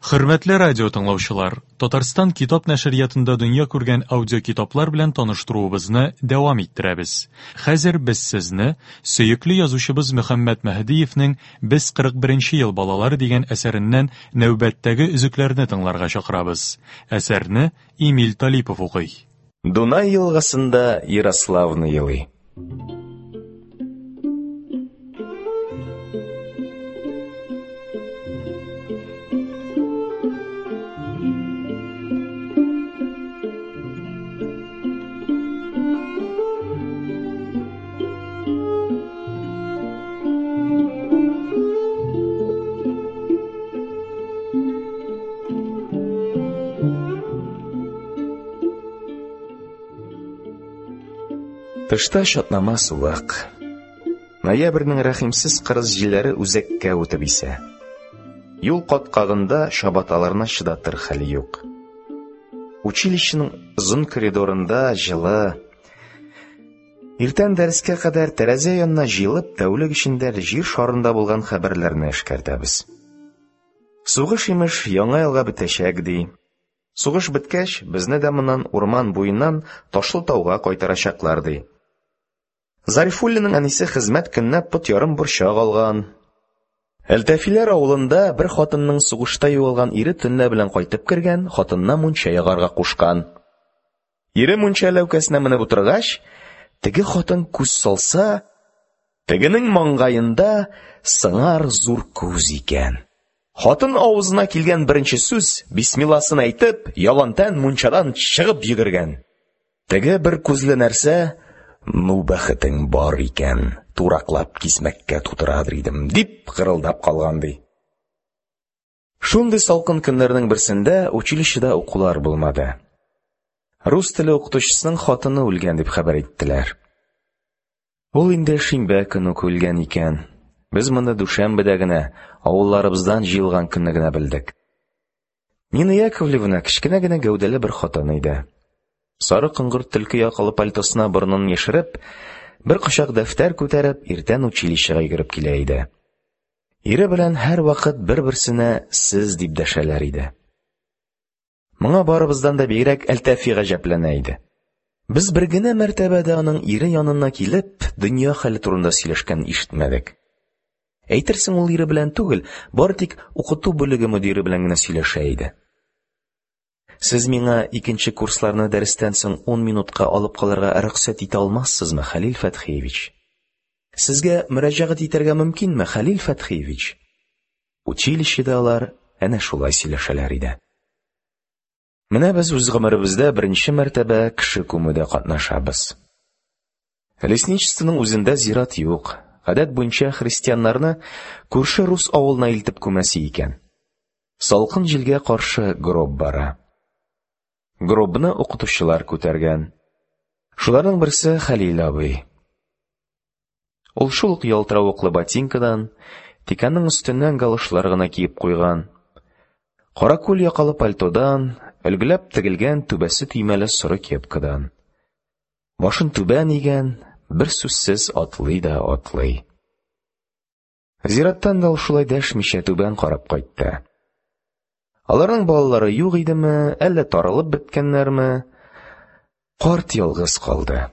Хөрмәтле радио тыңлаучылар, Татарстан китап нәшриятында дөнья күргән аудиокитаплар белән таныштыруыбызны дәвам иттерәбез. Хәзер без сезне сөекле язучыбыз Мөхәммәт Мәһдиевнең Без 41 нче ел балалары дигән әсәреннән нәүбәттәге өзекләрне тыңларга чакырабыз. Әсәрне Эмиль Талипов укый. Дунай елгасында Ярославна елый. Тышта чатнама суык. Ноябрьнең рәхимсез кырыс җилләре үзәккә үтеп исә. Юл каткагында чабаталарны чыдатыр хәл юк. Училищеның озын коридорында җылы. Иртән дәрескә кадәр тәрәзә янына җыелып, тәүлек эчендә җир шарында булган хәбәрләрне эшкәртәбез. Сугыш, имеш, яңа елга бетәчәк, ди. Сугыш беткәч, безне дә моннан урман буеннан Ташлы тауга кайтарачаклар, ди. Зарифуллинның әнисе хезмәт көненә пот ярым борчак алган. Әлтафилар авылында бер хатынның сугышта югалган ире төнлә белән кайтып кергән, хатынына мунча ягарга кушкан. Ире мунча ләүкәсенә менеп утыргач, теге хатын күз салса, тегенең маңгаенда сыңар зур күз икән. Хатын авызына килгән беренче сүз, бисмилласын әйтеп, ялантән мунчадан чыгып йөгергән. Теге бер күзле нәрсә, ну бәхетең бар икән, тураклап кисмәккә тутырадыр идем, дип гырылдап калган, ди. Шундый салкын көннәрнең берсендә училищеда укулар булмады. Рус теле укытучысының хатыны үлгән дип хәбәр иттеләр. Ул инде шимбә көн үк үлгән икән. Без моны дүшәмбедә генә, авылларыбыздан җыелган көнне генә белдек. Нина Яковлевна кечкенә генә гәүдәле бер хатын иде. Сары коңгырт төлке якалы пальтосына борынын яшереп, бер кочак дәфтәр күтәреп, иртән училищега йөгереп килә иде. Ире белән һәрвакыт бер-берсенә сез дип дәшәләр иде. Моңа барыбыздан да бигрәк Әлтафи гаҗәпләнә иде. Без бер генә мәртәбә дә аның ире янына килеп, дөнья хәле турында сөйләшкәнен ишетмәдек. Әйтерсең, ул ире белән түгел, бары тик укыту бүлеге мөдире белән генә сөйләшә иде. Сез миңа икенче курсларны дәрестән соң 10 минутка алып калырга рөхсәт итә алмассызмы, Хәлил Фәтхиевич? Сезгә мөрәҗәгать итәргә мөмкинме, Хәлил Фәтхиевич? Училищеда алар әнә шулай сөйләшәләр иде. Менә без үз гомеребездә беренче мәртәбә кеше күмүдә катнашабыз. Лесничествоның үзендә зират юк. Гадәт буенча христианнарны күрше рус авылына илтеп күмәсе икән. Салкын җилгә каршы гроб бара. Гробны укытучылар күтәргән. Шуларның берсе Хәлил абый. Ул шул ук ялтыравыклы ботинкадан, тик аның өстеннән галошлар гына киеп куйган. Каракүл якалы пальтодан, өлгеләп тегелгән түбәсе төймәле соры кепкадан. Башын түбән игән, бер сүзсез атлый да атлый. Зираттан да ул шулай дәшмичә түбән карап кайтты. Аларның балалары юк идеме, әллә таралып беткәннәрме? Карт ялгыз калды.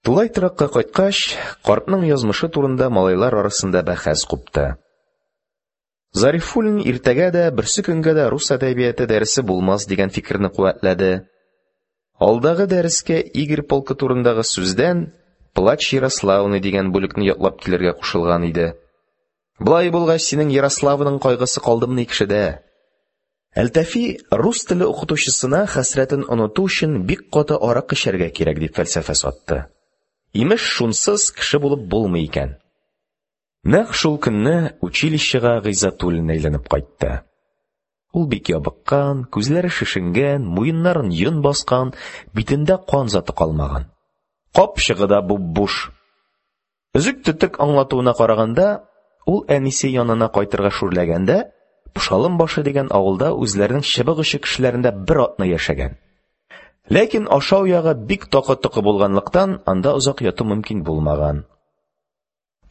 Тулай торакка кайткач, картның язмышы турында малайлар арасында бәхәс купты. Зарифуллин иртәгә дә, берсекөнгә дә рус әдәбияты дәресе булмас дигән фикерне куәтләде. Алдагы дәрескә Игорь полкы турындагы сүздән «Плач Ярославны» дигән бүлекне ятлап килергә кушылган иде. Болай булгач, синең Ярославның кайгысы калдымыни кешедә? Әлтафи рус теле укытучысына хәсрәтен оныту өчен бик каты аракы эчәргә кирәк дип фәлсәфә сатты. Имеш, шунсыз кеше булып булмый икән. Нәкъ шул көнне училищега Гыйззәтуллин әйләнеп кайтты. Ул бик ябыккан, күзләре шешенгән, муеннарын йон баскан, битендә кан заты калмаган. Капчыгы да буп-буш. Өзек-төтек аңлатуына караганда, ул әнисе янына кайтырга шүрләгәндә, Пошалым башы дигән авылда үзләренең чыбык очы кешеләрендә бер атна яшәгән. Ләкин ашау ягы бик такы-токы булганлыктан, анда озак яту мөмкин булмаган.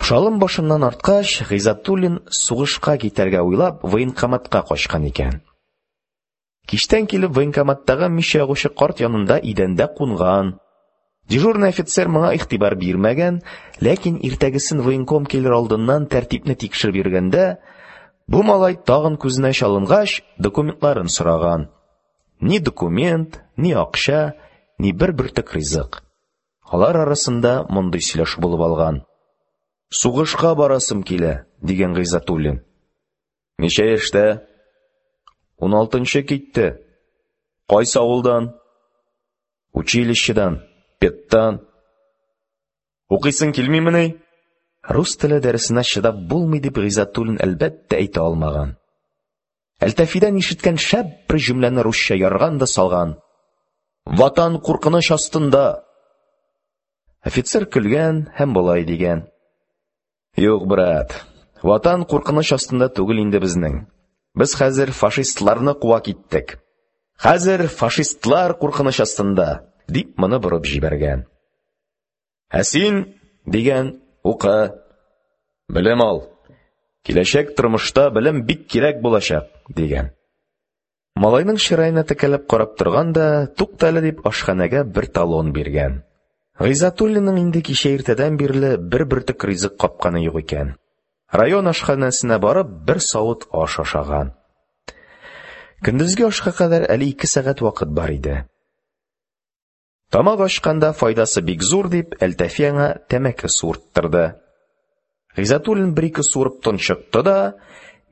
Пошалым башыннан арткач, Гыйззәтуллин сугышка китәргә уйлап военкоматка качкан икән. Кичтән килеп военкоматтагы мич ягучы карт янында идәндә кунган. Дежурный офицер моңа игътибар бирмәгән, ләкин иртәгесен военком килер алдыннан тәртипне тикшереп йөргәндә, бу малай тагын күзенә чалынгач, документларын сораган. Ни документ, ни акча, ни бер бөртек ризык. Алар арасында мондый сөйләшү булып алган. Сугышка барасым килә, дигән Гыйззәтуллин. Ничә яшьтә? 16нчы китте. Кайсы авылдан? Училищедан, педтан. Укыйсың килмимени? Рус теле дәресенә чыдап булмый дип Гыйззәтуллин әлбәттә әйтә алмаган. Әлтафидан ишеткән шәп бер җөмләне русча ярган да салган. Ватан куркыныч астында. Офицер көлгән һәм болай дигән: Юк, брат, ватан куркыныч астында түгел инде безнең. Без хәзер фашистларны куа киттек. Хәзер фашистлар куркыныч астында, дип моны борып җибәргән. Ә син, дигән, укы, белем ал. Киләчәк тормышта белем бик кирәк булачак, дигән. Малайның чыраена текәлеп карап торган да, тукта әле дип, ашханәгә бер талон биргән. Гыйззәтуллинның инде кичә иртәдән бирле бер бөртек ризык капканы юк икән. Район ашханәсенә барып, бер савыт аш ашаган. Көндезге ашка кадәр әле 2 сәгать вакыт бар иде. Тамак ачканда файдасы бик зур дип, Әлтафи аңа тәмәке суырттырды. Гыйззәтуллин бер-ике суырып тончыкты да,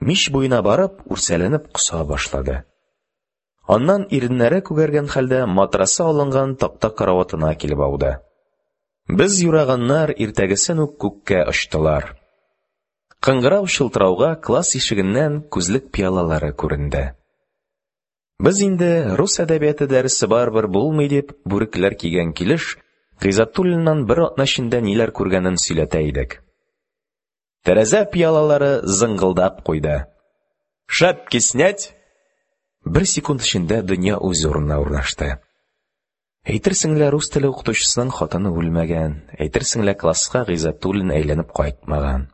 мич буена барып, үрсәләнеп коса башлады. Аннан иреннәре күгәргән хәлдә матрасы алынган такта караватына килеп ауды. Без юраганнар иртәгесен үк күккә очтылар. Кыңгырау чылтырауга класс ишегеннән күзлек пыялалары күренде. Без инде рус әдәбияты дәресе барыбер булмый дип, бүрекләр кигән килеш, Гыйззәтуллиннан бер атна эчендә ниләр күргәнен сөйләтә идек. Тәрәзә пыялалары зыңгылдап куйды. Шапки снять! Бер секунд эчендә дөнья үз урынына урнашты. Әйтерсең лә рус теле укытучысының хатыны үлмәгән, әйтерсең лә класска Гыйззәтуллин әйләнеп кайтмаган.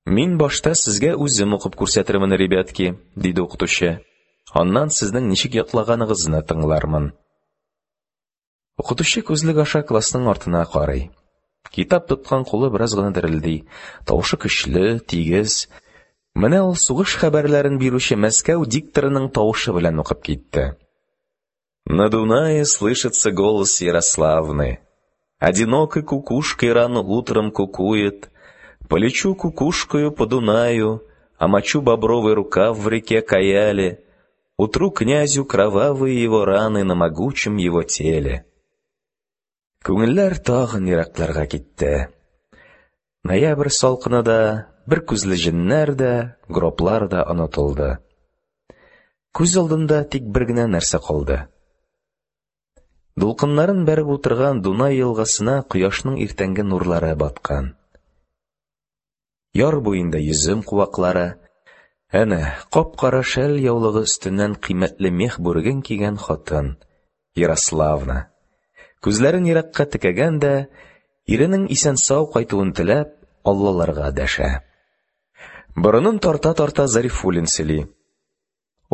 Мин башта сезгә үзем укып күрсәтермен, ребятки, диде укытучы. Аннан сезнең ничек ятлаганыгызны тыңлармын. Укытучы күзлек аша классның артына карый. Китап тоткан кулы бераз гына дерелди. Тавышы көчле, тигез. Менә ул сугыш хәбәрләрен бирүче Мәскәү дикторының тавышы белән укып китте. На Дунае слышится голос Ярославны. Одинокой кукушкой рано утром кукует. Полечу кукушкою по Дунаю, омочу бобровый рукав в реке Каяле, утру князю кровавые его раны на могучем его теле. Күңелләр тагын еракларга китте. Ноябрь салкыны да, бер күзле җеннәр дә, гроблар да онытылды. Күз алдында тик бер генә нәрсә калды. Дулкыннарын бәреп утырган Дунай елгасына кояшның иртәнге нурлары баткан. Яр буенда йөзем куаклары, әнә кап-кара шәл яулыгы өстеннән кыйммәтле мех бүреген кигән хатын, Ярославна, күзләрен еракка текәгән дә, иренең исән-сау кайтуын теләп, аллаларга дәшә. Борынын тарта-тарта Зарифуллин сөйли.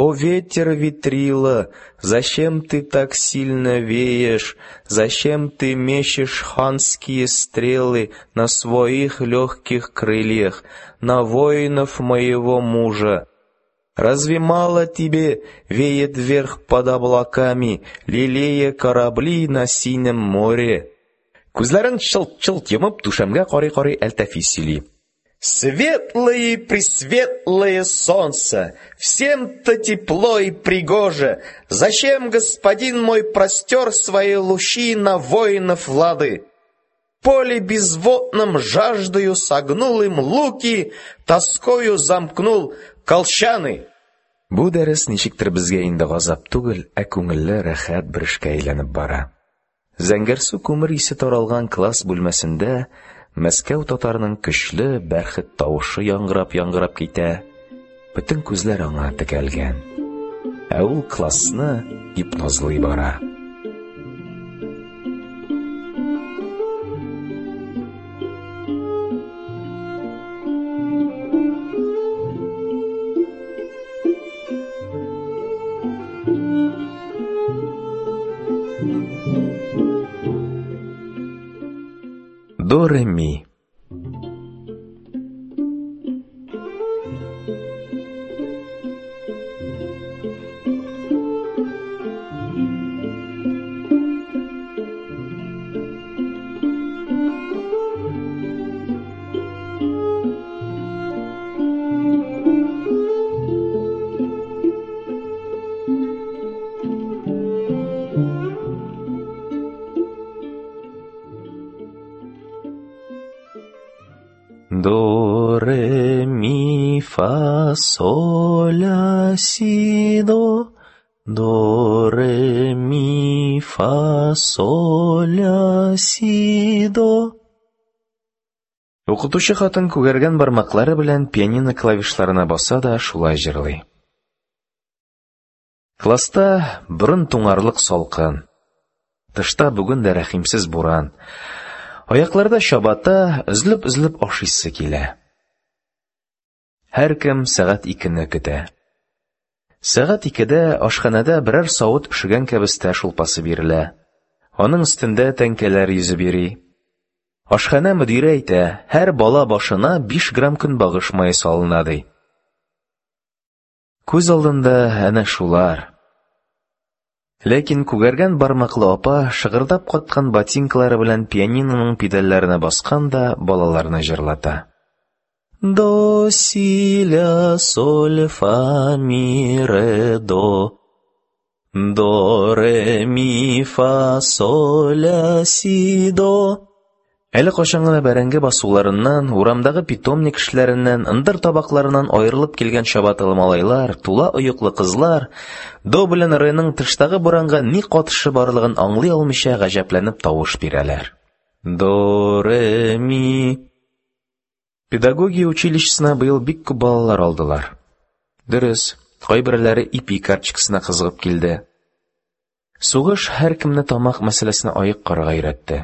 О ветер, ветрила, зачем ты так сильно веешь, зачем ты мечешь ханские стрелы на своих легких крыльях, на воинов моего мужа? Разве мало тебе веет вверх под облаками, лелея корабли на синем море? Күзләрен чылт-чылт йомып, түшәмгә карый-карый Әлтафи сөйли. Светлое и пресветлое солнце, всем-то тепло и пригоже. Зачем господин мой простер свои лучи на воинов Лады? Поле безводном жаждою согнул им луки, тоскою замкнул колчаны. Бу дәрес ничектер безгә инде газап түгел, ә күңелле, рәхәт бер эшкә әйләнеп бара. Зәңгәрсу күмер исе таралган класс бүлмәсендә Мәскәү татарының көчле бәрхет тавышы яңгырап-яңгырап китә. Бөтен күзләр аңа текәлгән. Ә ул классны гипнозлый бара. До, ре, ми. До, ре, ми, фа, соль, ля, си, до. До, ре, ми, фа, соль, ля, си, до. Укытучы хатын күгәргән бармаклары белән пианино клавишларына баса да шулай җырлый. Класста борын туңарлык салкын. Тышта бүген дә рәхимсез буран. Аякларда чабата, өзелеп-өзелеп ашыйсы килә. Һәркем сәгать икене көтә. Сәгать икедә ашханәдә берәр савыт өшегән кәбестә шулпасы бирелә. Аның өстендә тәңкәләр йөзеп йөри. Ашханә мөдире әйтә, һәр бала башына 5 грамм көнбагыш мае салына, ди. Күз алдында әнә шулар. Ләкин күгәргән бармаклы апа шыгырдап каткан ботинкалары белән пианиноның педальләренә баскан да балаларны җырлата. До, си, ля, соль, фа, ми, ре, до. До, ре, ми, фа, соль, ля, си, до. Әле кайчан гына бәрәңге басуларыннан, урамдагы питомник эшләреннән, ындыр табакларыннан аерылып килгән чабаталы малайлар, тула оеклы кызлар до белән реның тыштагы буранга ни катышы барлыгын аңлый алмыйча гаҗәпләнеп тавыш бирәләр. До, ре, ми. Педагогия училищесына быел бик күп балалар алдылар. Дөрес, кайберләре ипи карточкасына кызыгып килде. Сугыш һәркемне тамак мәсьәләсенә аек карарга өйрәтте.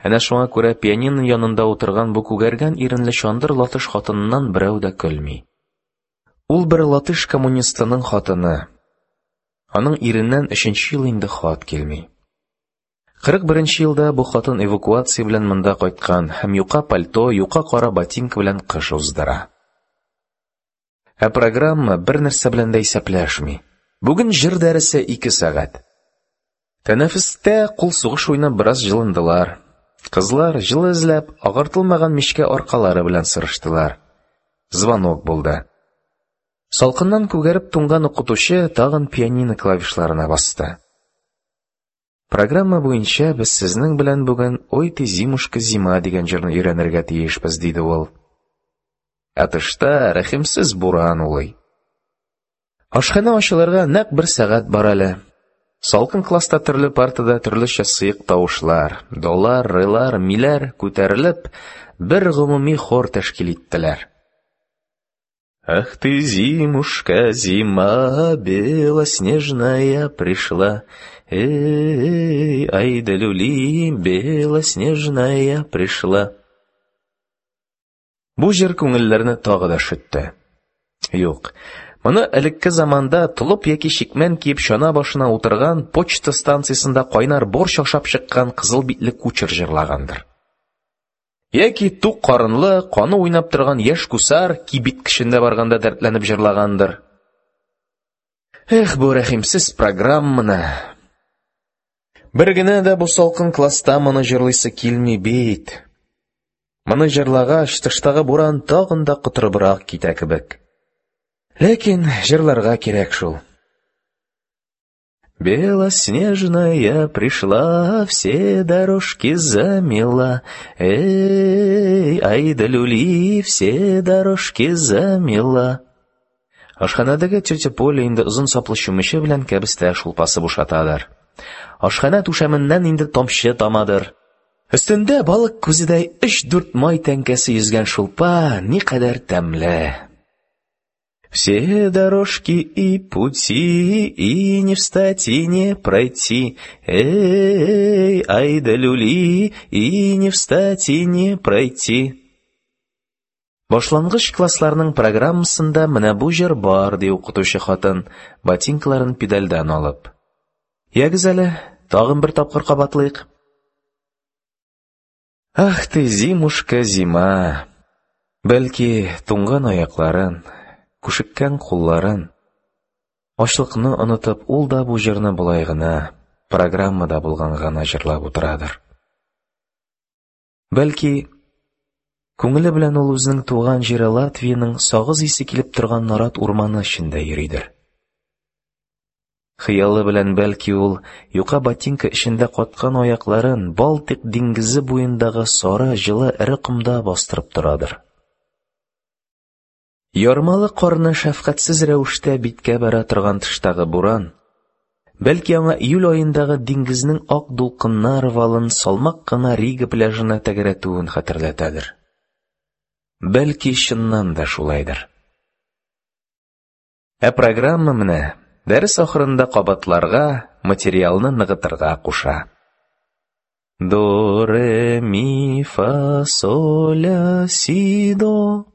Әнә шуңа күрә пианино янында утырган бу күгәргән иренле чандыр латыш хатыныннан берәү дә көлми. Ул бер латыш коммунистының хатыны. Аның иреннән өченче ел инде хат килми. 41 елда бу хатын эвакуация белән монда кайткан һәм юка пальто, юка кара ботинка белән кыш уздыра. Ә программа бер нәрсә белән дә исәпләшми. Бүген җыр дәресе 2 сәгать. Тәнәфестә кул сугыш уйнап бераз җылындылар. Кызлар, җылы эзләп, агартылмаган мичкә аркалары белән сырыштылар. Звонок булды. Салкыннан күгәреп туңган укытучы тагын пианино клавишларына басты. Программа буенча без сезнең белән бүген «Ой ты, зимушка, зима» дигән җырны өйрәнергә тиешбез, диде ул. Ә тышта рәхимсез буран улый. Ашханә ачылырга нәкъ бер сәгать бар әле. Салкын класста төрле партада төрлечә сыек тавышлар, долар, релар, миләр күтәрелеп, бер гомуми хор тәшкил иттеләр. Ах ты, зимушка, зима белоснежная пришла. Эй, ай да люли, белоснежная пришла. Бу җыр күңелләрне тагы да өшетте. Юк, моны элекке заманда толып яки чикмән киеп чана башына утырган, почта станциясендә кайнар борщ ашап чыккан кызыл битле кучер җырлагандыр. Яки тук карынлы, каны уйнап торган яшь гусар кибитка эчендә барганда дәртләнеп җырлагандыр. Эх, бу рәхимсез программаны. Бер генә дә бу салкын класста моны җырлыйсы килми бит. Моны җырлагач, тыштагы буран тагын да котырыбрак китә кебек. Ләкин җырларга кирәк шул. Белоснежная пришла, все дорожки замела. Эй, ай да люли, все дорожки замела. Ашханәдәге тетя Поля инде озын саплы чүмече белән кәбестә шулпасы бушатадыр. Ашханә түшәменнән инде тамчы тамадыр. Өстендә балык күзедәй 3-4 май тәңкәсе йөзгән шулпа никадәр тәмле. Все дорожки и пути, и не встать, и не пройти. Эй, ай да люли, и не встать, и не пройти. Башлангыч классларның программасында менә бу җыр бар, ди укытучы хатын, ботинкаларын педальдән алып. Ягез әле, тагын бер тапкыр кабатлыйк. Ах ты, зимушка, зима! Бәлки, туңган аякларын, күшеккән кулларын, ачлыкны онытып, ул да бу җырны болай гына, программада булганга гына җырлап утырадыр. Бәлки, күңеле белән ул үзенең туган җире Латвиянең сагыз исе килеп торган нарат урманы эчендә йөридер. Хыялы белән, бәлки, ул юка ботинка эчендә каткан аякларын Балтыйк диңгезе буендагы сары, җылы, эре комда бастырып торадыр. Ярмалы карны шәфкатьсез рәвештә биткә бәрә торган тыштагы буран, бәлки, аңа июль аендагы диңгезнең ак дулкыннар валын салмак кына Рига пляжына тәгәрәтүен хәтерләтәдер. Бәлки, чыннан да шулайдыр. Ә программа менә дәрес ахырында кабатларга, материалны ныгытырга куша. До, ре, ми, фа, соль, ля, си, до.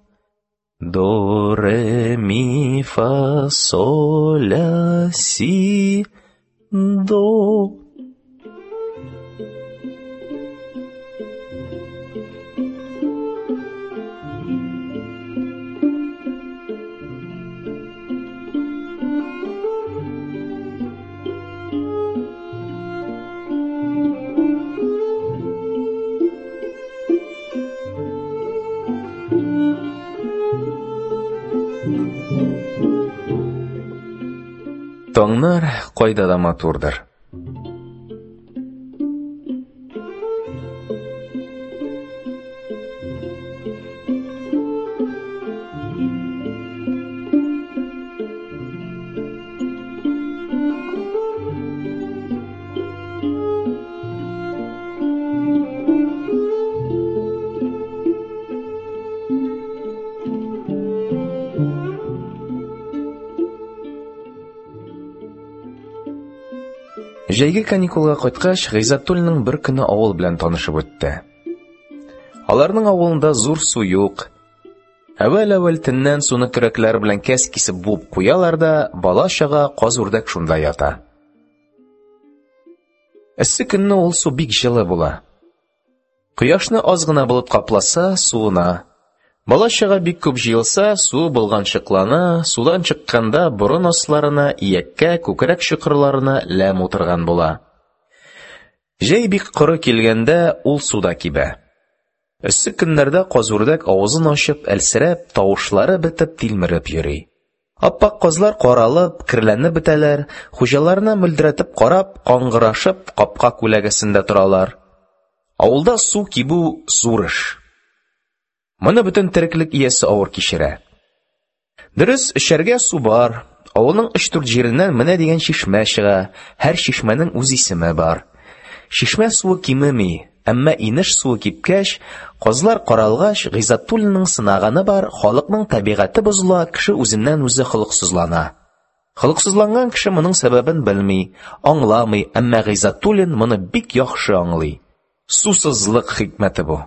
До, ре, ми, фа, соль, ля, си, до. Таңнар кайда да матурдыр. Җәйге каникулга кайткач, Гыйззәтуллинның бер көне авыл белән танышып үтте. Аларның авылында зур су юк. Әүвәл-әүвәл төннән суны көрәкләр белән кәс кисеп буып куялар да, бала-чага, каз-үрдәк шунда ята. Эссе көнне ул су бик җылы була. Кояшны аз гына болыт капласа, суына. Бала-чага бик күп җыелса, суы болганчыклана, судан чыкканда борын асларына, ияккә, күкрәк чокырларына ләм утырган була. Җәй бик коры килгәндә ул су да кибә. Эссе көннәрдә каз-үрдәк авызын ачып, әлсерәп, тавышлары бетеп, тилмереп йөри. Ап-ак казлар каралып, керләнеп бетәләр, хуҗаларына мөлдерәтеп карап, каңгырашып, капка күләгәсендә торалар. Авылда су кибү зур эш. Моны бөтен тереклек иясе авыр кичерә. Дөрес, эчәргә су бар. Авылның өч-дүрт җиреннән менә дигән чишмә чыга, һәр чишмәнең үз исеме бар. Чишмә суы кимеми, әмма инеш суы кипкәч, казлар каралгач, Гыйззәтуллинның сынаганы бар, халыкның табигате бозыла, кеше үзеннән-үзе холыксызлана. Холыксызланган кеше моның сәбәбен белми, аңламый, әмма Гыйззәтуллин моны бик яхшы аңлый. Сусызлык хикмәте бу.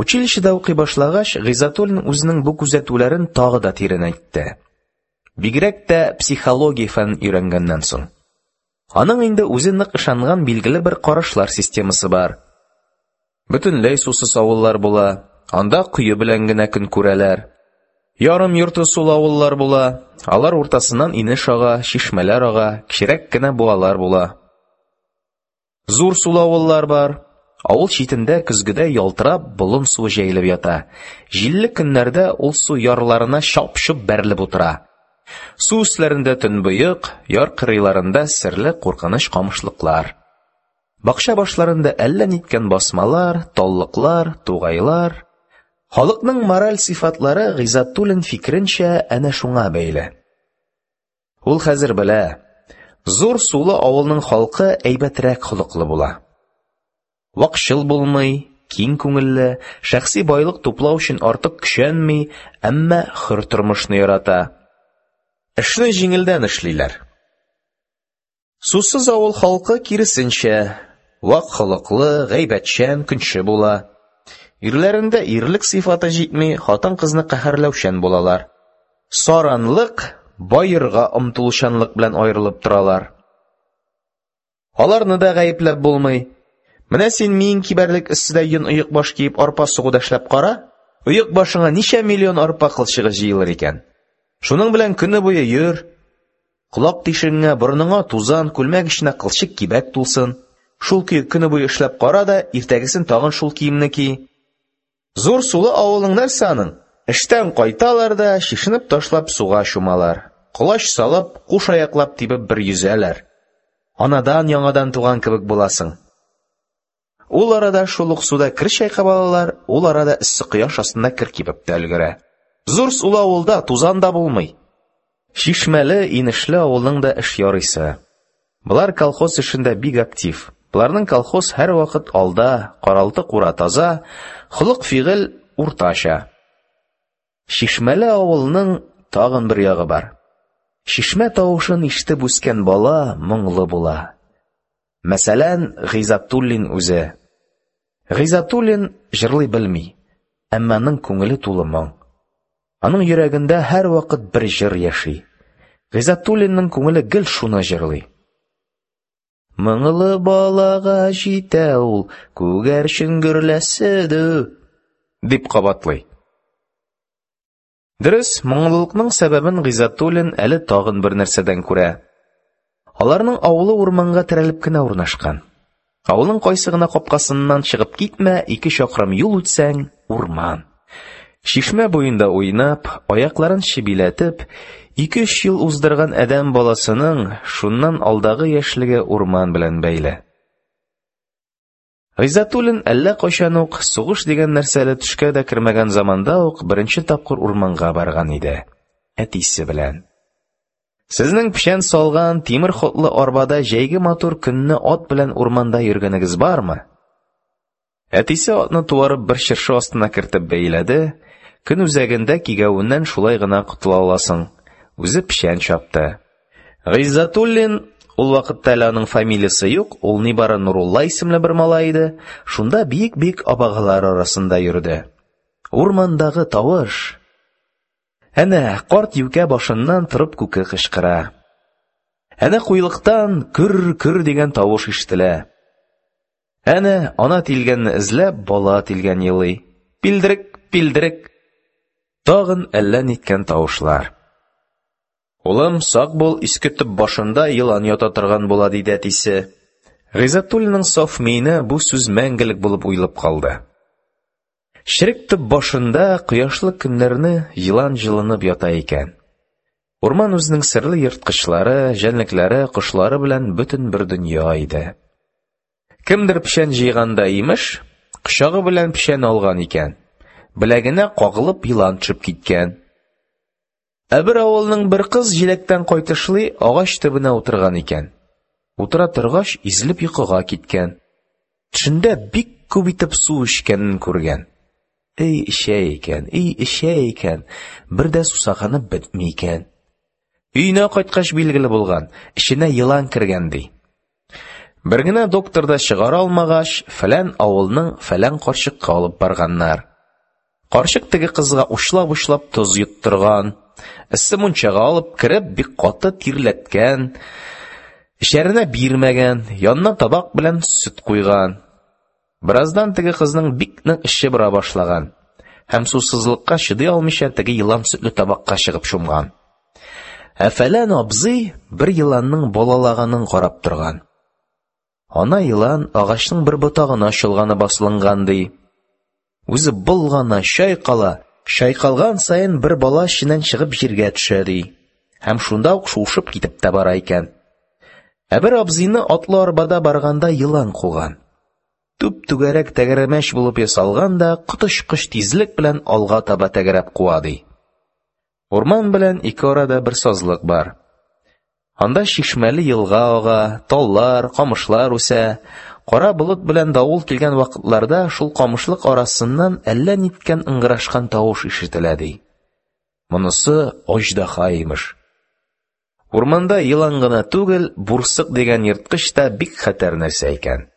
Училищеда укый башлагач, Гыйззәтуллин үзенең бу күзәтүләрен тагы да тирәнәйтте. Бигрәк тә психология фәнен өйрәнгәннән соң. Аның инде үзе нык ышанган билгеле бер карашлар системасы бар. Бөтенләй сусыз авыллар була, анда кое белән генә көн күрәләр. Ярым-йорты сулы авыллар була, алар уртасыннан инеш ага, чишмәләр ага, кечерәк кенә буалар була. Зур сулы авыллар бар. Авыл читендә көзгедәй ялтырап болын суы җәелеп ята. Җилле көннәрдә ул су ярларына чап-чоп бәрелеп утыра. Су өсләрендә төнбоек, яр кырыйларында серле куркыныч камышлыклар. Бакча башларында әллә ниткән басмалар, таллыклар, тугайлар. Халыкның мораль сыйфатлары Гыйззәтуллин фикеренчә әнә шуңа бәйле. Ул хәзер белә: зур сулы авылның халкы әйбәтрәк холыклы була. Вакчыл булмый, киң күңелле, шәхси байлык туплау өчен артык көчәнми, әмма хөр тормышны ярата. Эшне җиңелдән эшлиләр. Сусыз авыл халкы, киресенчә, вак холыклы, гайбәтчән, көнче була. Ирләрендә ирлек сыйфаты җитми, хатын-кызны каһәрләүчән булалар. Саранлык, баерга омтылучанлык белән аерылып торалар. Аларны да гаепләп булмый. Менә син миең кибәрлек эсседә йон оекбаш киеп арпа сугуда эшләп кара. Оекбашыңа ничә миллион арпа кылчыгы җыелыр икән? Шуның белән көне буе йөр. Колак тишегеңә, борыныңа тузан, күлмәк эченә кылчык-кибәк тулсын. Шул көе көне буе эшләп кара да, иртәгесен тагын шул киемне ки. Зур сулы авылның нәрсә аның? Эштән кайталар да, чишенеп ташлап суга чумалар. Колач салып, кушаяклап тибеп бер йөзәләр. Анадан яңадан туган кебек буласың. Ул арада шул ук суда кер чайкап алалар, ул арада эссе кояш астында кер кибеп тә өлгерә. Зур сулы авылда тузан да булмый. Чишмәле, инешле авылның да эш ярыйсы. Болар колхоз эшендә бик актив. Боларның колхоз һәрвакыт алда, каралты-кура таза, холык-фигыль уртача. Чишмәле авылның тагын бер ягы бар. Чишмә тавышын ишетеп үскән бала моңлы була. Мәсәлән, Гыйззәтуллин үзе. Гыйззәтуллин җырлый белми, әмма аның күңеле тулы моң. Аның йөрәгендә һәрвакыт бер җыр яши. Гыйззәтуллинның күңеле гел шуны җырлый. Моңлы балага җитә ул, күгәрчен гөрләсе дү, дип кабатлый. Дөрес, моңлылыкның сәбәбен Гыйззәтуллин әле тагын бер нәрсәдән күрә. Аларның авылы урманга терәлеп кенә урнашкан. Авылның кайсы гына капкасыннан чыгып китмә, ике чакрым юл үтсәң – урман. Чишмә буенда уйнап, аякларын чебиләтеп, ике-өч ел уздырган адәм баласының шуннан алдагы яшьлеге урман белән бәйле. Гыйззәтуллин әллә кайчан ук, сугыш дигән нәрсә әле төшкә дә кермәгән заманда ук беренче тапкыр урманга барган иде. Әтисе белән. Сезнең печән салган тимер ходлы арбада җәйге матур көнне ат белән урманда йөргәнегез бармы? Әтисе атны туарып бер чыршы астына кертеп бәйләде, көн үзәгендә кигәвеннән шулай гына котыла аласың, үзе печән чапты. Гыйззәтуллин, ул вакытта әле аның фамилиясе юк, ул нибары Нурулла исемле бер малай иде, шунда биек-биек абагалар арасында йөрде. Урмандагы тавыш! Әнә, карт юкә башыннан торып күке кычкыра. Әнә куелыктан көр-көр дигән тавыш ишетелә. Әнә, ана тилгәнне эзләп, бала тилгән елый. Пилдерек, пилдерек. Тагын әллә ниткән тавышлар. Улым, сак бул, иске төп башында елан ята торган була, диде әтисе. Гыйззәтуллинның саф миенә бу сүз мәңгелек булып уелып калды. Черек төп башында кояшлы көннәрне елан җылынып ята икән. Урман үзенең серле ерткычлары, җәнлекләре, кошлары белән бөтен бер дөнья иде. Кемдер печән җыйганда, имеш, кочагы белән печән алган икән. Беләгенә кагылып елан төшеп киткән. Ә бер авылның бер кыз җиләктән кайтышлый агач төбенә утырган икән. Утыра торгач, изелеп йокыга киткән. Төшендә бик күп итеп су эчкәнен күргән. Эй эчә икән, эй эчә икән, бер дә сусаганы бетми икән. Өенә кайткач билгеле булган, эченә елан кергән, ди. Бер генә доктор да чыгара алмагач, фәлән авылның фәлән карчыкка алып барганнар. Карчык теге кызга учлап-учлап тоз йоттырган, эссе мунчага алып кереп, бик каты тирләткән, эчәренә бирмәгән, янына табак белән сөт куйган. Бераздан теге кызның бик нык эче бора башлаган һәм сусызлыкка чыдый алмыйча теге елан сөтле табакка чыгып чумган. Ә фәлән абзый бер еланның балалаганын карап торган. Ана елан агачның бер ботагына чолганып асылынган, ди. Үзе болгана, чайкала, чайкалган саен бер бала эченнән чыгып җиргә төшә, ди. Һәм шунда ук шуышып китеп тә бара икән. Ә бер абзыйны атлы арбада барганда елан куган. Түп-түгәрәк тәгәрмәч булып ясалган да коточкыч тизлек белән алга таба тәгәрәп куа, ди. Урман белән ике арада бер сазлык бар. Анда чишмәле елга ага, таллар, камышлар үсә. Кара болыт белән давыл килгән вакытларда шул камышлык арасыннан әллә ниткән ыңгырашкан тавыш ишетелә, ди. Монысы аждаһа, имеш. Урманда елан гына түгел, бурсык дигән ерткыч та бик хәтәр нәрсә икән.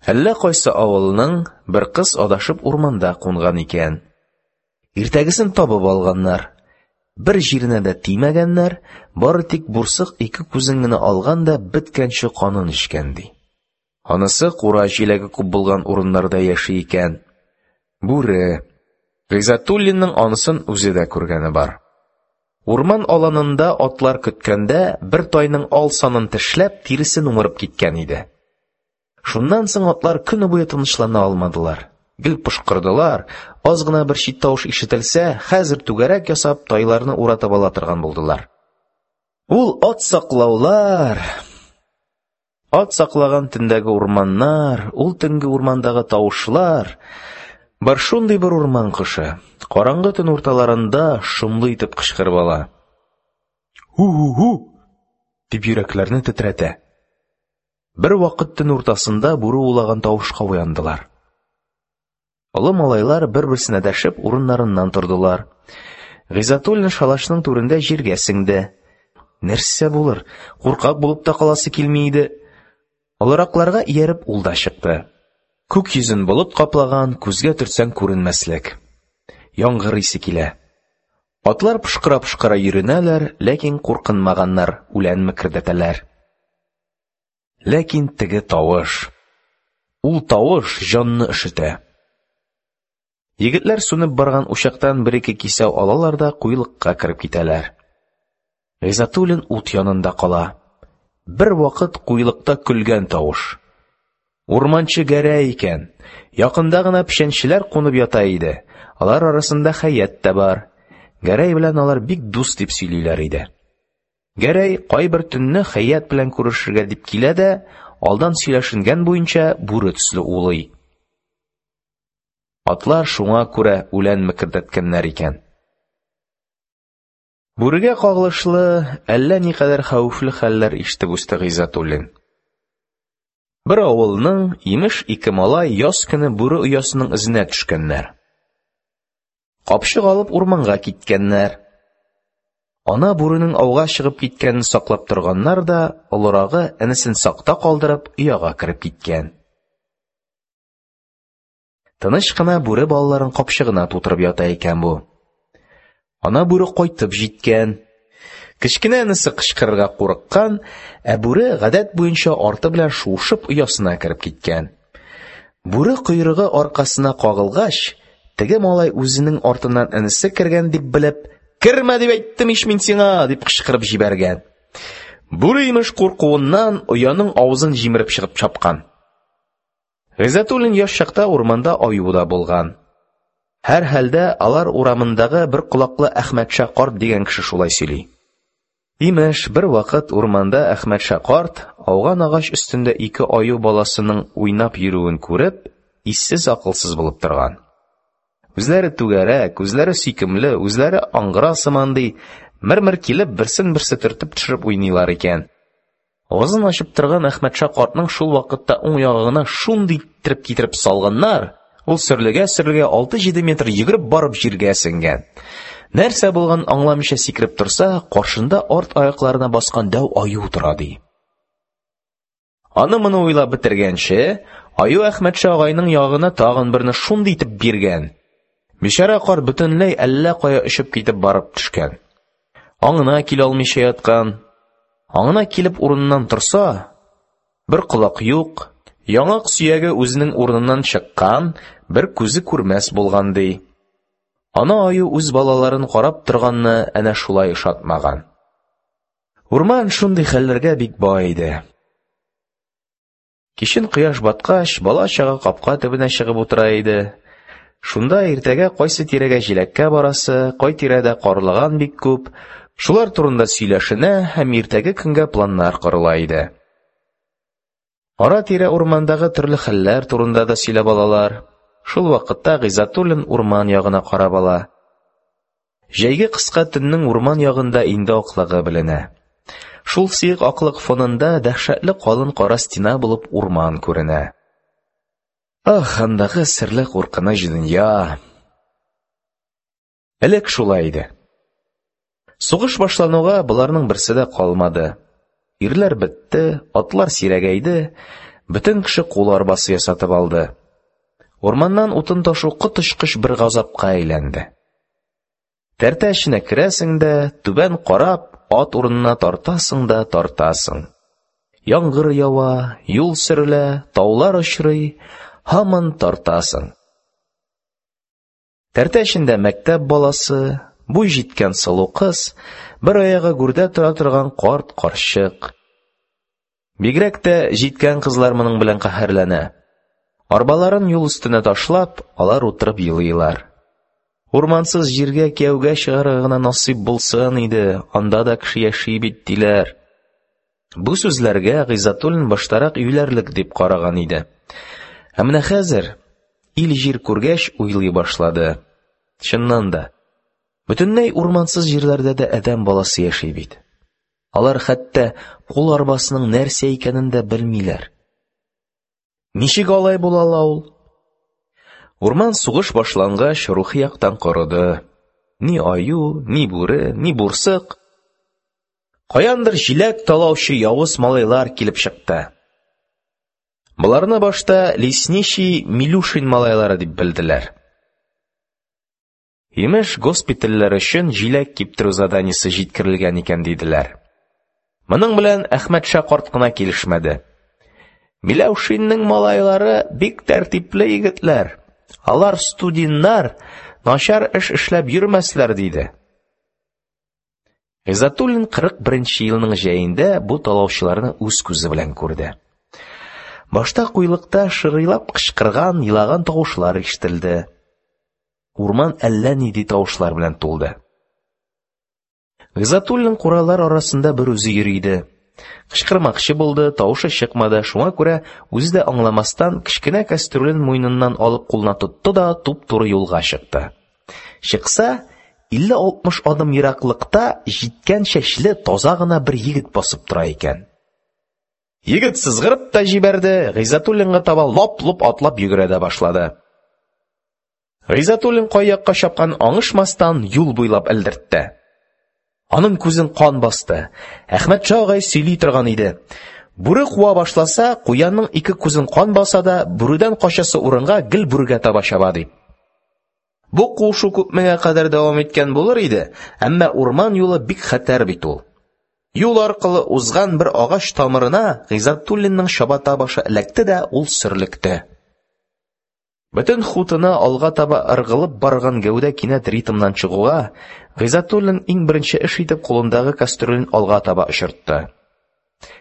Әллә кайсы авылның бер кыз адашып урманда кунган икән. Иртәгесен табып алганнар. Бер җиренә дә тимәгәннәр, бары тик бурсык ике күзен генә алган да беткәнче канын эчкән, ди. Анысы кура җиләге күп булган урыннарда яши икән. Бүре. Гыйззәтуллинның анысын үзе дә күргәне бар. Урман аланында атлар көткәндә бер тайның ал санын тешләп, тиресен умырып киткән иде. Шуннан соң атлар көне буе тынычлана алмадылар, гел пошкырдылар, аз гына бер чит тавыш ишетелсә, хәзер түгәрәк ясап тайларны уратып ала торган булдылар. Ул ат саклаулар! Ат саклаган төндәге урманнар, ул төнге урмандагы тавышлар! Бар шундый бер урман кошы, караңгы төн урталарында шомлы итеп кычкырып ала. «Һу-һу-һу!» дип йөрәкләрне тетрәтә. Бервакыт төн уртасында бүре улаган тавышка уяндылар. Олы малайлар бер-берсенә дәшеп урыннарыннан тордылар. Гыйззәтуллин шалашның түрендә җиргә сеңде. Нәрсә булыр, куркак булып та каласы килми иде. Олыракларга ияреп ул да чыкты. Күк йөзен болыт каплаган, күзгә төртсәң күренмәслек. Яңгыр исе килә. Атлар пошкыра-пошкыра йөренәләр, ләкин куркынмаганнар, үлән мекердәтәләр. Ләкин теге тавыш. Ул тавыш җанны өшетә. Егетләр сүнеп барган учактан бер-ике кисәү алалар да куелыкка кереп китәләр. Гыйззәтуллин ут янында кала. Бервакыт куелыкта көлгән тавыш. Урманчы Гәрәй икән. Якында гына печәнчеләр кунып ята иде. Алар арасында Хәят тә бар. Гәрәй белән алар бик дус дип сөйлиләр иде. Гәрәй кайбер төнне Хәят белән күрешергә дип килә дә, алдан сөйләшенгән буенча, бүре төсле улый. Атлар шуңа күрә үлән мекердәткәннәр икән. Бүрегә кагылышлы әллә никадәр хәвефле хәлләр ишетеп үсте Гыйззәтуллин. Бер авылның, имеш, ике малай яз көне бүре оясының эзенә төшкәннәр. Капчык алып урманга киткәннәр. Ана бүренең ауга чыгып киткәнен саклап торганнар да, олырагы, энесен сакта калдырып, ояга кереп киткән. Тыныч кына бүре балаларын капчыгына тутырып ята икән бу. Ана бүре кайтып җиткән. Кечкенә энесе кычкырырга курыккан, ә бүре, гадәт буенча, арты белән шуышып оясына кереп киткән. Бүре койрыгы аркасына кагылгач, теге малай үзенең артыннан энесе кергән дип белеп, «Кермә дип әйттем ич мин сиңа!» дип кычкырып җибәргән. Бүре, имеш, куркуыннан ояның авызын җимереп чыгып чапкан. Гыйззәтуллин яшь чакта урманда аю да булган. Һәрхәлдә, алар урамындагы бер колаклы Әхмәтша карт дигән кеше шулай сөйли. Имеш, бервакыт урманда Әхмәтша карт, ауган агач өстендә ике аю баласының уйнап йөрүен күреп, иссез-акылсыз булып торган. Үзләре түгәрәк, үзләре сөйкемле, үзләре аңгыра сыман ди, мер-мер килеп, берсен-берсе төртеп төшереп уйныйлар икән. Авызын ачып торган Әхмәтша картның шул вакытта уң ягына шундый иттереп китереп салганнар, ул сөрлегә-сөрлегә 6-7 метр йөгереп барып җиргә сеңгән. Нәрсә булганын аңламыйча сикереп торса, каршында арт аякларына баскан дәү аю тора, ди. Аны-моны уйлап бетергәнче, аю Әхмәтша агайның ягына тагын берне шундый итеп биргән. Бичара карт бөтенләй әллә кая очып китеп барып төшкән. Аңына килә алмыйча яткан. Аңына килеп урыныннан торса, бер колак юк, яңак сөяге үзенең урыныннан чыккан, бер күзе күрмәс булган, ди. Ана аю үз балаларын карап торганны әнә шулай ошатмаган. Урман шундый хәлләргә бик бай иде. Кичен кояш баткач, бала-чага капка төбенә чыгып утыра иде. Шунда иртәгә кайсы тирәгә җиләккә барасы, кай тирәдә карлыган бик күп, шулар турында сөйләшенә һәм иртәге көнгә планнар корыла иде. Ара-тирә урмандагы төрле хәлләр турында да сөйләп алалар. Шул вакытта Гыйззәтуллин урман ягына карап ала. Җәйге кыска төннең урман ягында инде аклыгы беленә. Шул сыек аклык фонында дәһшәтле калын кара стена булып урман күренә. Ах, андагы серле куркыныч дөнья! Элек шулай иде. Сугыш башлануга боларның берсе дә калмады. Ирләр бетте, атлар сирәгәйде, бөтен кеше кул арбасы ясатып алды. Урманнан утын ташу коточкыч бер газапка әйләнде. Тәртә эченә керәсең дә, түбән карап, ат урынына тартасың да тартасың. Яңгыр ява, юл сөрелә, таулар очрый, һаман тартасың. Тәртә эчендә мәктәп баласы, буй җиткән сылу кыз, бер аягы гүрдә тора торган карт, карчык. Бигрәк тә җиткән кызлар моның белән каһәрләнә. Арбаларын юл өстенә ташлап, алар утырып елыйлар. Урмансыз җиргә кияүгә чыгарга гына насыйп булсын иде, анда да кеше яши бит, диләр. Бу сүзләргә Гыйззәтуллин баштарак юләрлек дип караган иде. Ә менә хәзер, ил-җир күргәч, уйлый башлады. Чыннан да, бөтенләй урмансыз җирләрдә дә адәм баласы яши бит. Алар хәтта кул арбасының нәрсә икәнен дә белмиләр. Ничек алай була ала ул? Урман сугыш башлангач рухи яктан корыды. Ни аю, ни бүре, ни бурсык. Каяндыр җиләк талаучы явыз малайлар килеп чыкты. Боларны башта лесничий Милюшин малайлары дип белделәр. Имеш, госпитальләр өчен җиләк киптерү заданиесе җиткерелгән икән, диделәр. Моның белән Әхмәтша карт кына килешмәде. Миләүшиннең малайлары бик тәртипле егетләр. Алар студеннар, начар эш эшләп йөрмәсләр, диде. Гыйззәтуллин 41 елның җәендә бу талаучыларны үз күзе белән күрде. Башта куйлыкта шырыйлап кычкырган, елаган тавышлар ишетелде. Урман әллә нинди тавышлар белән тулды. Гыйззәтуллин куралар арасында бер үзе йөри иде. Кычкырмакчы булды, тавышы чыкмады, шуңа күрә үзе дә аңламастан кечкенә кастрюлен муеныннан алып кулына тотты да туп-туры юлга чыкты. Чыкса, 50-60 адым ераклыкта җиткән чәчле таза гына бер егет басып тора икән. Егет сызгырып та җибәрде, Гыйззәтуллинга таба лап-лоп атлап йөгерә дә башлады. Гыйззәтуллин кай якка чапканын аңышмастан юл буйлап элдертте. Аның күзен кан басты. Әхмәтша агай сөйли торган иде. Бүре куа башласа, куянның ике күзен кан баса да, бүредән качасы урынга гел бүрегә таба чаба дип. Бу куышу күпмегә кадәр дәвам иткән булыр иде, әмма урман юлы бик хәтәр бит ул. Юл аркылы узган бер агач тамырына Гыйззәтуллинның чабата башы эләкте дә, ул сөрлекте. Бөтен хутына алга таба ыргылып барган гәүдә кинәт ритмнан чыгуга, Гыйззәтуллин иң беренче эш итеп кулындагы кастрюлен алга таба очыртты.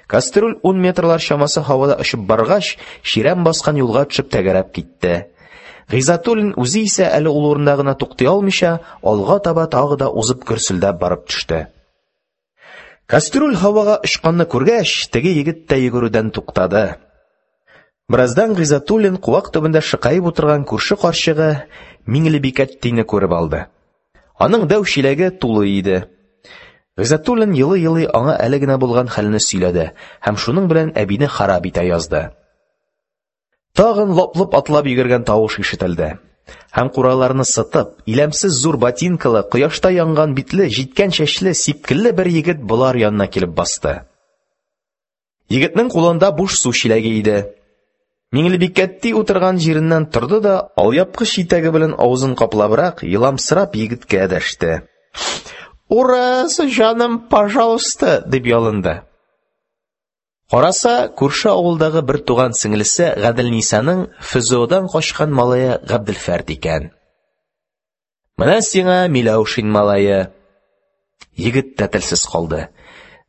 Кастрюль ун метрлар чамасы һавада очып баргач, чирәм баскан юлга төшеп тәгәрәп китте. Гыйззәтуллин үзе исә әле ул урында гына туктый алмыйча, алга таба тагы да узып гөрселдәп барып төште. Кастрюль һавага очканны күргәч, теге егет тә йөгерүдән туктады. Бераздан Гыйззәтуллин куак төбендә шыкаеп утырган күрше карчыгы Миңлебикәттине күреп алды. Аның дәү чиләге тулы иде. Гыйззәтуллин елый-елый аңа әле генә булган хәлне сөйләде һәм шуның белән әбине харап итә язды. Тагын лап-лоп атлап йөгергән тавыш ишетелде. Һәм кураларны сытып, иләмсез зур ботинкалы, кояшта янган битле, җиткән чәчле, сипкелле бер егет болар янына килеп басты. Егетнең кулында буш су чиләге иде. Миңлебикәтти утырган җиреннән торды да, алъяпкыч итәге белән авызын каплабрак, еламсырап егеткә дәште. «Урыс, җаным, пожалуйста!» – дип ялынды. Караса, күрше авылдагы бер туган сеңлесе Гаделнисаның ФЗОдан качкан малае Габделфәрт икән. Менә сиңа Миләүшин малае. Егет тә телсез калды.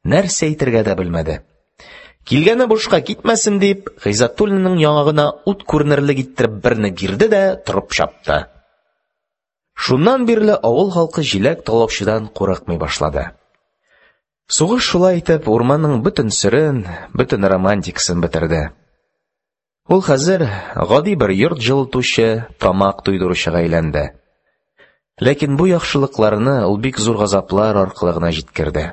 Нәрсә әйтергә дә белмәде. Килгәне бушка китмәсен дип, Гыйззәтуллинның яңагына ут күренерлек иттереп берне бирде дә торып чапты. Шуннан бирле авыл халкы җиләк талаучыдан курыкмый башлады. Сугыш шулай итеп урманның бөтен серен, бөтен романтикасын бетерде. Ул хәзер гади бер йорт җылытучы, тамак туйдыручыга әйләнде. Ләкин бу яхшылыкларны ул бик зур газаплар аркылы гына җиткерде.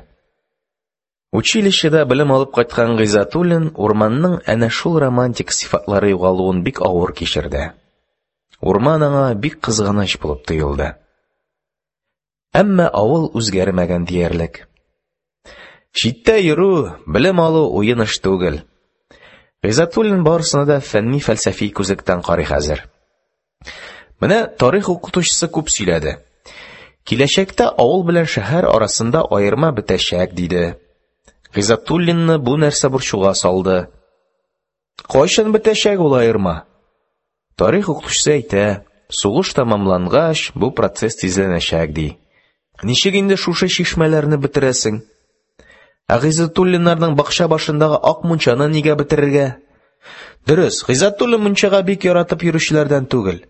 Училищеда белем алып кайткан Гыйззәтуллин урманның әнә шул романтик сыйфатлары югалуын бик авыр кичерде. Урман аңа бик кызганыч булып тоелды. Әмма авыл үзгәрмәгән диярлек. Читтә йөрү, белем алу уен эш түгел. Гыйззәтуллин барысына да фәнни-фәлсәфи күзлектән карый хәзер. Менә тарих укытучысы күп сөйләде. Киләчәктә авыл белән шәһәр арасында аерма бетәчәк, диде. Гыйззәтуллинны бу нәрсә борчуга салды. Кайчан бетәчәк ул аерма? Тарих укытучысы әйтә, сугыш тәмамлангач, бу процесс тизләнәчәк, ди. Ничек инде шушы чишмәләрне бетерәсең? Ә Гыйззәтуллиннарның бакча башындагы ак мунчаны нигә бетерергә? Дөрес, Гыйззәтуллин мунчага бик яратып йөрүчеләрдән түгел.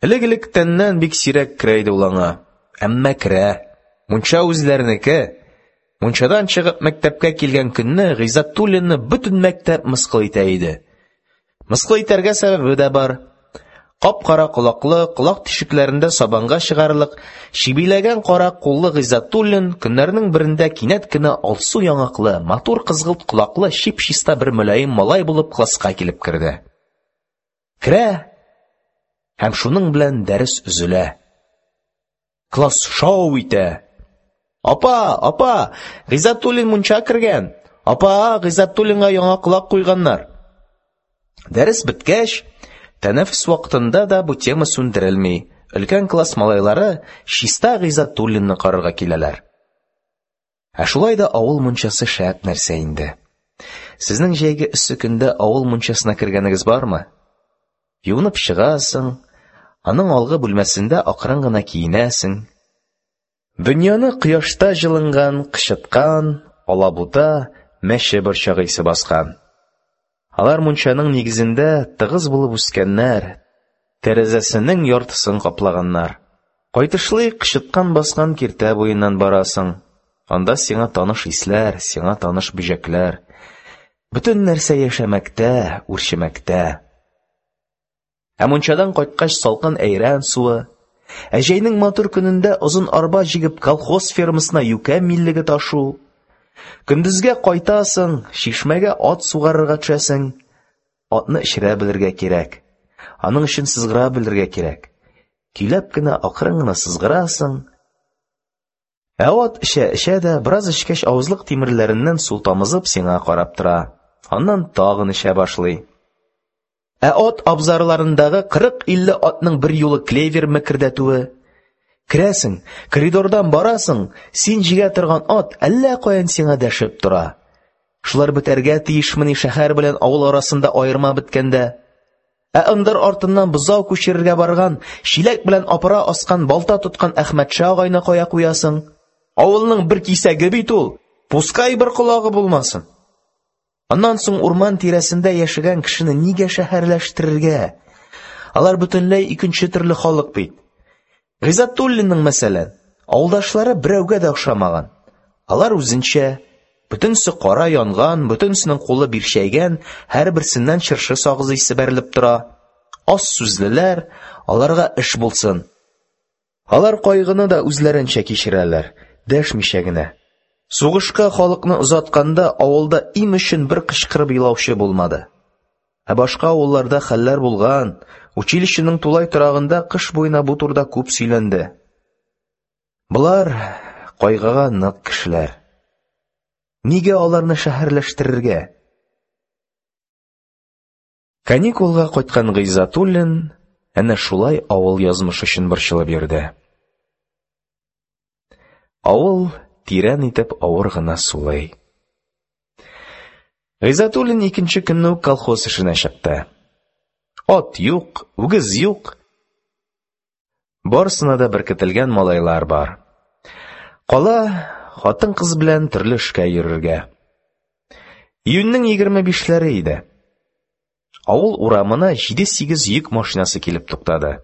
Элек-электеннән бик сирәк керә иде ул аңа. Әмма керә. Мунча үзләренеке. Мунчадан чыгып мәктәпкә килгән көнне Гыйззәтуллинны бөтен мәктәп мыскыл итә иде. Мыскыл итәргә сәбәбе дә бар. Кап-кара колаклы, колак тишекләрендә сабанга чыгарлык, чебиләгән кара куллы Гыйззәтуллин көннәрнең берендә кинәт кенә алсу яңаклы, матур кызгылт колаклы, чип-чиста бер мөлаем малай булып класска килеп керде. Керә һәм шуның белән дәрес өзелә. Класс шау итә. Апа, апа, Гыйззәтуллин мунча кергән. Апа, Гыйззәтуллинга яңа колак куйганнар. Дәрес беткәч, тәнәфес вакытында да бу тема сүндерелми. Өлкән класс малайлары чиста Гыйззәтуллинны карарга киләләр. Ә шулай да авыл мунчасы шәп нәрсә инде. Сезнең җәйге эссе көндә авыл мунчасына кергәнегез бармы? Юынып чыгасың, аның алгы бүлмәсендә акрын гына киенәсең. Дөньяны кояшта җылынган, кычыткан, алабута, мәче борчагы исе баскан. Алар мунчаның нигезендә тыгыз булып үскәннәр, тәрәзәсенең яртысын каплаганнар. Кайтышлый кычыткан баскан киртә буеннан барасың. Анда сиңа таныш исләр, сиңа таныш бөҗәкләр. Бөтен нәрсә яшәмәктә, үрчемәктә. Ә мунчадан кайткач салкын әйрән суы, ә җәйнең матур көнендә озын арба җигеп колхоз фермасына юкә миллеге ташу. Көндезгә кайтасың, чишмәгә ат сугарырга төшәсең. Атны эчерә белергә кирәк. Аның өчен сызгыра белергә кирәк. Көйләп кенә акрын гына сызгырасың. Ә ат эчә-эчә дә, бераз эчкәч, авызлык тимерләреннән су тамызып сиңа карап тора. Аннан тагын эчә башлый. Ә ат абзарларындагы 40-50 атның берьюлы клевер мекердәтүе. Керәсең, коридордан барасың, син җигә торган ат әллә каян сиңа дәшеп тора. Шулар бетәргә тиешмени шәһәр белән авыл арасында аерма беткәндә? Ә ындыр артыннан бозау күчерергә барган, чиләк белән апара аскан, балта тоткан Әхмәтша агайны кая куясың? Авылның бер кисәге бит ул, пускай бер колагы булмасын. Аннан соң урман тирәсендә яшәгән кешене нигә шәһәрләштерергә? Алар бөтенләй икенче төрле халык бит. Гыйззәтуллинның, мәсәлән, авылдашлары берәүгә дә охшамаган. Алар үзенчә, бөтенесе кара янган, бөтенесенең кулы бирчәйгән, һәрберсеннән чыршы сагызы исе бәрелеп тора. Аз сүзлеләр, аларга эш булсын. Алар кайгыны да үзләренчә кичерәләр, дәшмичә генә. Сугышка халыкны озатканда авылда им өчен бер кычкырып елаучы булмады. Ә башка авылларда хәлләр булган, училищеның тулай торагында кыш буена бу турыда күп сөйләнде. Болар кайгыга нык кешеләр. Нигә аларны шәһәрләштерергә? Каникулга кайткан Гыйззәтуллин әнә шулай авыл язмышы өчен борчылып йөрде. Авыл тирән итеп авыр гына сулый. Гыйззәтуллин икенче көнне үк колхоз эшенә чыкты. Ат юк, үгез юк. Барысына да беркетелгән малайлар бар. Кала хатын-кыз белән төрле эшкә йөрергә. Июньнең 25-ләре иде. Авыл урамына 7-8 йөк машинасы килеп туктады.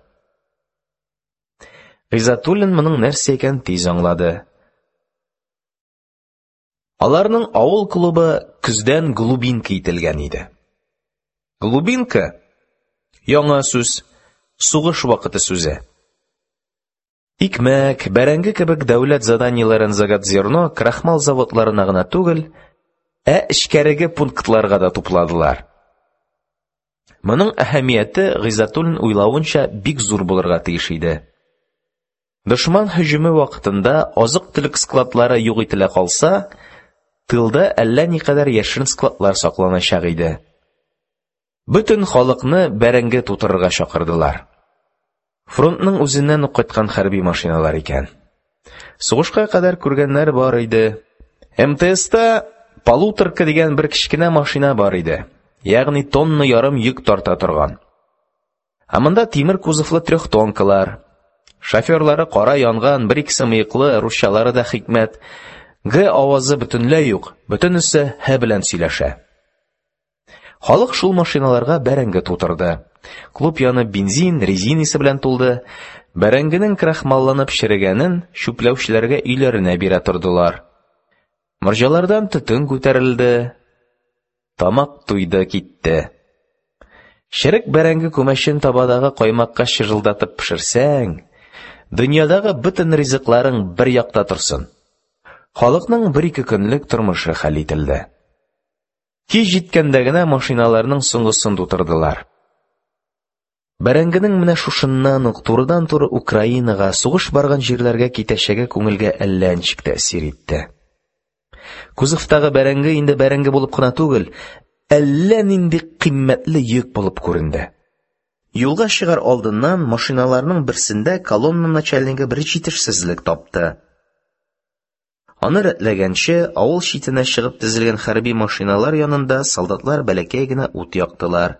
Гыйззәтуллин моның нәрсә икәнен тиз аңлады. Аларның авыл клубы көздән глубинка ителгән иде. Глубинка яңа сүз, сугыш вакыты сүзе. Икмәк, бәрәңге кебек дәүләт заданиеләрен заготзерно, крахмал заводларына гына түгел, ә эчкәреге пунктларга да тупладылар. Моның әһәмияте, Гыйззәтуллин уйлавынча, бик зур булырга тиеш иде. Дошман һөҗүме вакытында азык-төлек складлары юк ителә калса, тылда әллә никадәр яшерен складлар сакланачак иде. Бөтен халыкны бәрәңге тутырырга чакырдылар. Фронтның үзеннән үк кайткан хәрби машиналар икән. Сугышка кадәр күргәннәр бар иде. МТСта «Полуторка» дигән бер кечкенә машина бар иде, ягъни тонна ярым йөк тарта торган. Ә монда тимер кузовлы трёхтонкалар. Шофёрлары кара янган, бер-икесе мыеклы, русчалары да хикмәт. «Г» авазы бөтенләй юк, бөтенесе «һ» белән сөйләшә. Халык шул машиналарга бәрәңге тутырды. Клуб яны бензин, резина исе белән тулды. Бәрәңгенең крахмалланып черегәнен чүпләүчеләргә өйләренә бирә тордылар. Морҗалардан төтен күтәрелде. Тамак туйды китте. Черек бәрәңге күмәчен табадагы каймакка чыжылдатып пешерсәң, дөньядагы бөтен ризыкларың бер якта торсын. Халыкның бер-ике көнлек тормышы хәл ителде. Кич җиткәндә генә машиналарның соңгысын тутырдылар. Бәрәңгенең менә шушыннан ук турыдан-туры Украинага, сугыш барган җирләргә китәчәге күңелгә әллә ничек тәэсир итте. Кузовтагы бәрәңге инде бәрәңге булып кына түгел, әллә нинди кыйммәтле йөк булып күренде. Юлга чыгар алдыннан машиналарның берсендә колонна начальнигы бер җитешсезлек тапты. Аны рәтләгәнче, авыл читенә чыгып тезелгән хәрби машиналар янында солдатлар бәләкәй генә ут яктылар.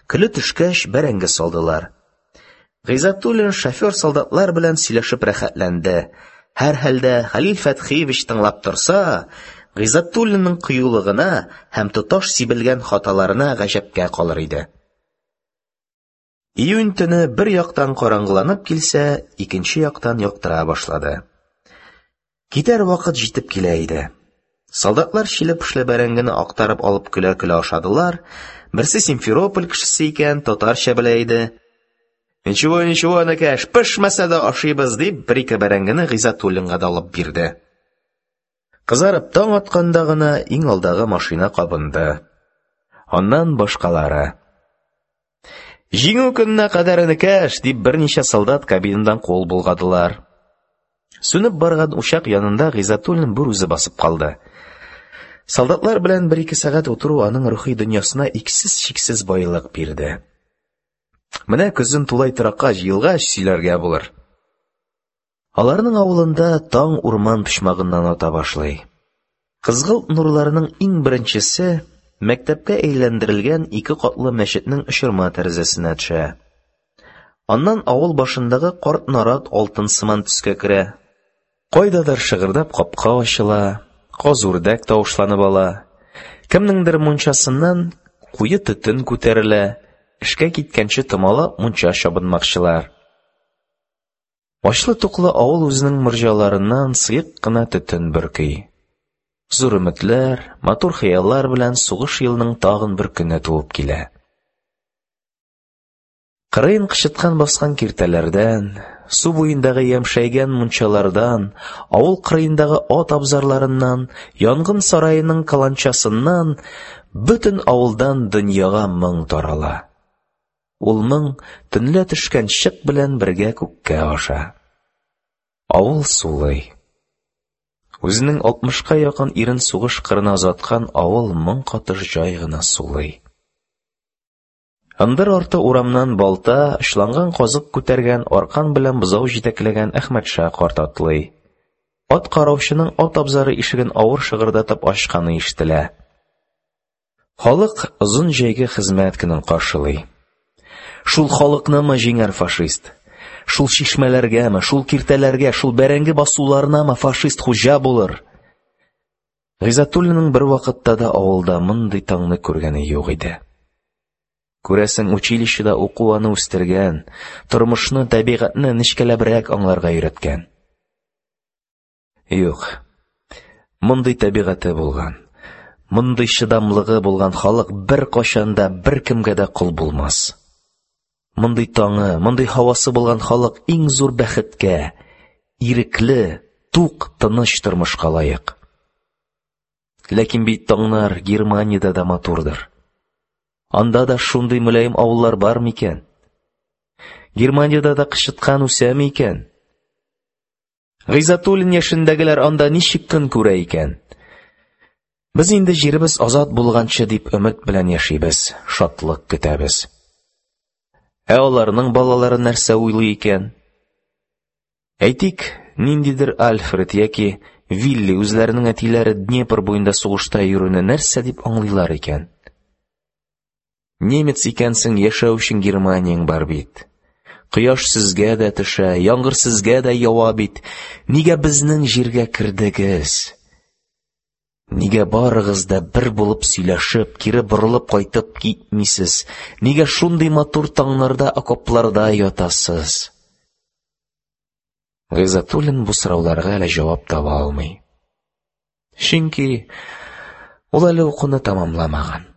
Көле төшкәч, бәрәңге салдылар. Гыйззәтуллин шофёр солдатлар белән сөйләшеп рәхәтләнде. Һәрхәлдә, Хәлил Фәтхиевич тыңлап торса, Гыйззәтуллинның кыюлыгына һәм тоташ сибелгән хаталарына гаҗәпкә калыр иде. Июнь төне бер яктан караңгыланып килсә, икенче яктан яктыра башлады. Китәр вакыт җитеп килә иде. Солдатлар чиле-пешле бәрәңгене актарып алып көлә-көлә ашадылар. Берсе Симферополь кешесе икән, татарча белә иде. «Ничего, ничего, энекәш, пешмәсә дә ашыйбыз», – дип, бер-ике бәрәңгене Гыйззәтуллинга да алып бирде. Кызарып таң атканда гына иң алдагы машина кабынды. Аннан башкалары. «Җиңү көненә кадәр, энекәш!» – дип, берничә солдат кабинадан кул болгадылар. Сүнеп барган учак янында Гыйззәтуллин бер үзе басып калды. Солдатлар белән бер-ике сәгать утыру аның рухи дөньясына иксез-чиксез байлык бирде. Менә көзен тулай торакка җыелгач сөйләргә булыр. Аларның авылында таң урман почмагыннан ата башлый. Кызгылт нурларының иң беренчесе мәктәпкә әйләндерелгән ике катлы мәчетнең очырма тәрәзәсенә төшә. Аннан авыл башындагы карт нарат алтын сыман төскә керә. Кайдадыр шыгырдап капка ачыла, каз-үрдәк тавышланып ала. Кемнеңдер мунчасыннан куе төтен күтәрелә, эшкә киткәнче томалап мунча чабынмакчылар. Ачлы-туклы авыл үзенең морҗаларыннан сыек кына төтен бөрки. Зур өметләр, матур хыяллар белән сугыш елының тагын бер көне туып килә. Кырыен кычыткан баскан киртәләрдән, су буендагы ямьшәйгән мунчалардан, авыл кырыендагы ат абзарларыннан, янгын сараеның каланчасыннан, бөтен авылдан дөньяга моң тарала. Ул моң төнлә төшкән чык белән бергә күккә аша. Авыл сулый. Үзенең алтмышка якын ирен сугыш кырына озаткан авыл моң катыш җай гына сулый. Ындыр арты урамнан балта, очланган казык күтәргән, аркан белән бозау җитәкләгән Әхмәтша карт атлый. Ат караучының ат абзары ишеген авыр шыгырдатып ачканы ишетелә. Халык озын җәйге хезмәт көнен каршылый. Шул халыкнымы җиңәр фашист? Шул чишмәләргәме, шул киртәләргә, шул бәрәңге басуларынамы фашист хуҗа булыр? Гыйззәтуллинның бервакытта да авылда мондый таңны күргәне юк иде. Күрәсең, училищеда уку аны үстергән, тормышны, табигатьне нечкәләбрәк аңларга өйрәткән. Юк, мондый табигате булган, мондый чыдамлыгы булган халык беркайчан да беркемгә дә кол булмас. Мондый таңы, мондый һавасы булган халык иң зур бәхеткә, ирекле, тук, тыныч тормышка лаек. Ләкин бит таңнар Германиядә дә матурдыр. Анда да шундый мөлаем авыллар бар микән? Германиядә дә кычыткан үсәме икән? Гыйззәтуллин яшендәгеләр анда ничек көн күрә икән? Без инде җиребез азат булганчы дип өмет белән яшибез, шатлык көтәбез. Ә аларның балалары нәрсә уйлый икән? Әйтик, ниндидер Альфред яки Вилли үзләренең әтиләре Днепр буенда сугышта йөрүне нәрсә дип аңлыйлар икән? Немец икәнсең, яшәү өчен Германияң бар бит. Кояш сезгә дә төшә, яңгыр сезгә дә ява бит. Нигә безнең җиргә кердегез? Нигә барыгыз да бер булып сөйләшеп, кире борылып кайтып китмисез? Нигә шундый матур таңнарда окопларда ятасыз? Гыйззәтуллин бу сорауларга әле җавап таба алмый. Чөнки ул әле укуны тәмамламаган.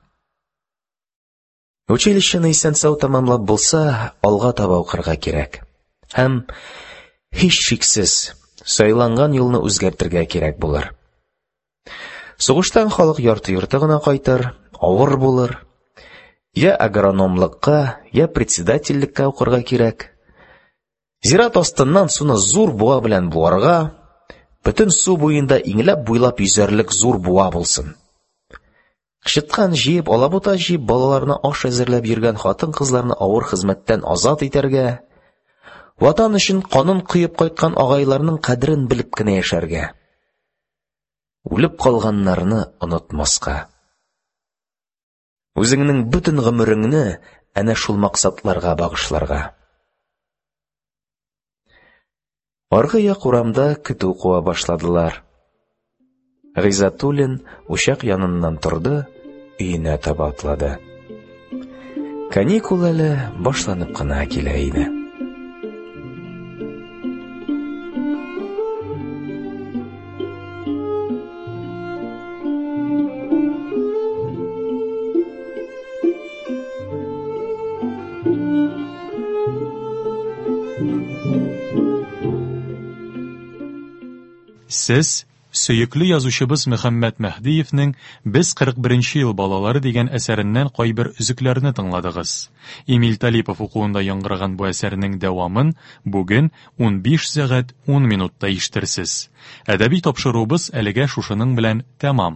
Училищены исән-сау тәмамлап булса, алга таба укырга кирәк. Һәм, һичшиксез, сайланган юлны үзгәртергә кирәк булыр. Сугыштан халык ярты-йорты гына кайтыр, авыр булыр. Йә агрономлыкка, йә председательлеккә укырга кирәк. Зират астыннан суны зур буа белән буарга, бөтен су буенда иңләп-буйлап йөзәрлек зур буа булсын. Кычыткан җыеп, алабута җыеп, балаларына аш әзерләп йөргән хатын-кызларны авыр хезмәттән азат итәргә, Ватан өчен канын коеп кайткан агайларның кадерен белеп кенә яшәргә. Үлеп калганнарны онытмаска. Үзеңнең бөтен гомереңне әнә шул максатларга багышларга. Аргы як урамда көтү куа башладылар. Гыйззәтуллин учак яныннан торды, өенә таба атлады. Каникул әле башланып кына килә иде. Сез сөекле язучыбыз Мөхәммәт Мәһдиевнең Без 41 нче ел балалары дигән әсәреннән кайбер өзекләрне тыңладыгыз. Эмиль Талипов укуында яңгыраган бу әсәрнең дәвамын бүген 15 сәгать 10 минутта ишетерсез. Әдәби тапшыруыбыз әлегә шушының белән тәмам.